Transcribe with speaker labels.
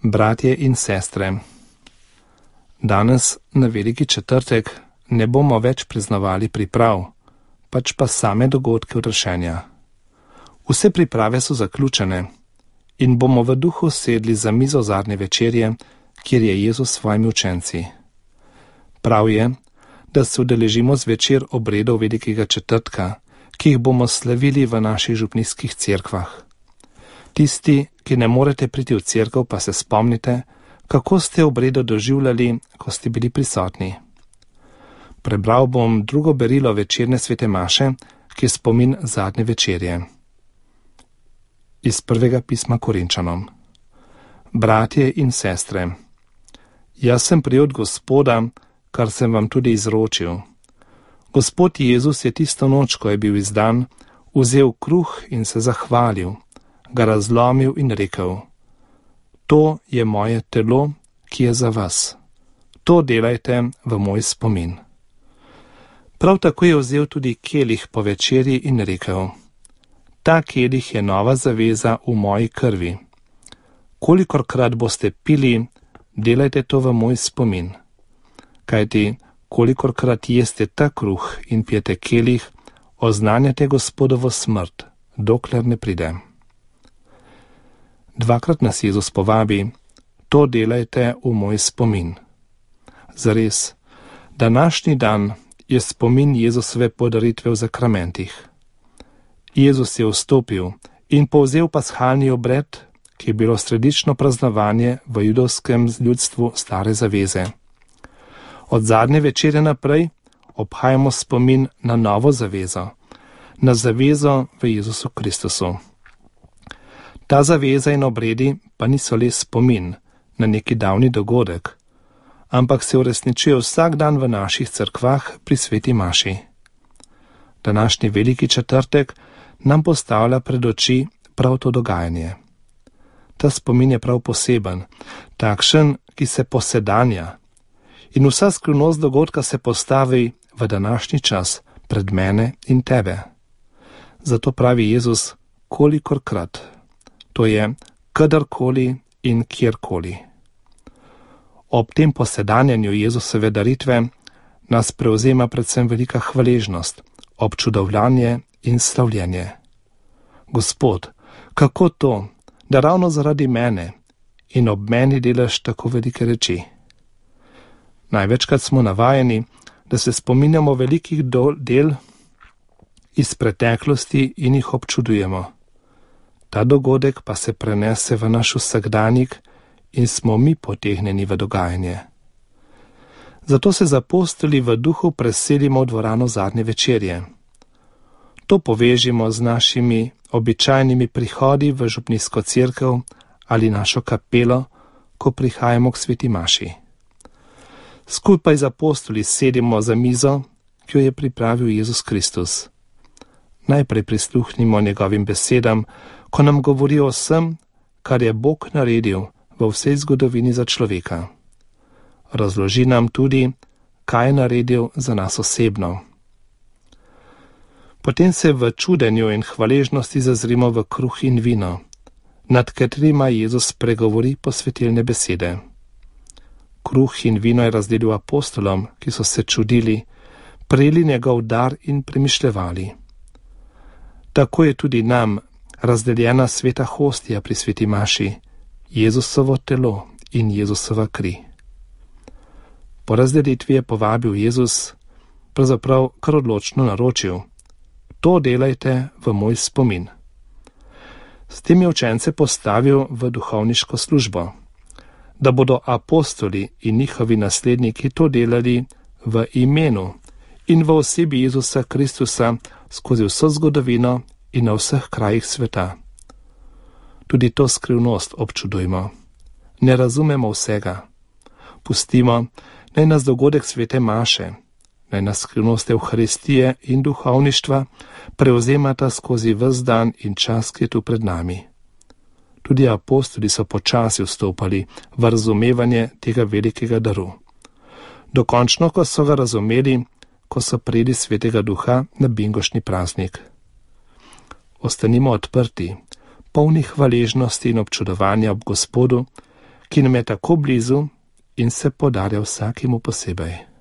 Speaker 1: Bratje in sestre, danes na Veliki četrtek ne bomo več priznavali priprav, pač pa same dogodke odrešenja. Vse priprave so zaključene in bomo v duhu sedli za mizo zadnje večerje, kjer je Jezus s svojimi učenci. Prav je, da se udeležimo zvečer obredov Velikega četrtka, ki jih bomo slavili v naših župnijskih cerkvah. Tisti, ki ne morete priti v cerkev, pa se spomnite, kako ste obredo doživljali, ko ste bili prisotni. Prebral bom drugo berilo večerne svete maše, ki je spomin zadnje večerje. Iz prvega pisma Korinčanom. Bratje in sestre, jaz sem prijel od Gospoda, kar sem vam tudi izročil. Gospod Jezus je tisto noč, ko je bil izdan, vzel kruh in se zahvalil, ga razlomil in rekel: To je moje telo, ki je za vas. To delajte v moj spomin. Prav tako je vzel tudi kelih po večerji in rekel: Ta kelih je nova zaveza v moji krvi. Kolikorkrat boste pili, delajte to v moj spomin. Kajti, kolikorkrat jeste ta kruh in pijete kelih, oznanjate Gospodovo smrt, dokler ne pride. Dvakrat nas Jezus povabi: To delajte v moj spomin. Zares, današnji dan je spomin Jezusove podaritve v zakramentih. Jezus je vstopil in povzel pashalni obred, ki je bilo sredično praznovanje v judovskem ljudstvu stare zaveze. Od zadnje večere naprej obhajamo spomin na novo zavezo, na zavezo v Jezusu Kristusu. Ta zaveza in obredi pa niso le spomin na neki davni dogodek, ampak se uresničuje vsak dan v naših cerkvah pri sveti maši. Današnji Veliki četrtek nam postavlja pred oči prav to dogajanje. Ta spomin je prav poseben, takšen, ki se posedanja, in vsa skrivnost dogodka se postavi v današnji čas pred mene in tebe. Zato pravi Jezus: Kolikorkrat, to je kadarkoli in kjerkoli. Ob tem posedanjanju Jezusove daritve nas prevzema predvsem velika hvaležnost, občudovanje in slavljenje. Gospod, kako to, da ravno zaradi mene in ob meni delaš tako velike reči? Največkrat smo navajeni, da se spominjamo velikih del iz preteklosti in jih občudujemo. Ta dogodek pa se prenese v naš vsakdanjik in smo mi potegnjeni v dogajanje. Zato se z apostoli v duhu preselimo v dvorano zadnje večerje. To povežimo z našimi običajnimi prihodi v župnijsko cerkev ali našo kapelo, ko prihajamo k sveti maši. Skupaj z apostoli sedimo za mizo, ki jo je pripravil Jezus Kristus. Najprej prisluhnimo njegovim besedam, ko nam govori o vsem, kar je Bog naredil v vsej zgodovini za človeka. Razloži nam tudi, kaj je naredil za nas osebno. Potem se v čudenju in hvaležnosti zazrimo v kruh in vino, nad katerima Jezus pregovori posvetilne besede. Kruh in vino je razdelil apostolom, ki so se čudili, prejeli njegov dar in premišljevali. Tako je tudi nam razdeljena sveta hostija pri sveti maši, Jezusovo telo in Jezusova kri. Po razdelitvi je povabil Jezus, pravzaprav kar odločno naročil: To delajte v moj spomin. S tem je učence postavil v duhovniško službo, da bodo apostoli in njihovi nasledniki to delali v imenu in v osebi Jezusa Kristusa skozi vso zgodovino in na vseh krajih sveta. Tudi to skrivnost občudujmo. Ne razumemo vsega. Pustimo, naj nas dogodek svete maše, naj nas skrivnost Evharistije in duhovništva prevzemata skozi ves dan in čas, ki je tu pred nami. Tudi apostoli so počasi vstopali v razumevanje tega velikega daru. Dokončno, ko so ga razumeli, ko so prejeli svetega duha na bingošni praznik. Ostanimo odprti, polni hvaležnosti in občudovanja ob Gospodu, ki nam je tako blizu in se podarja vsakemu posebej.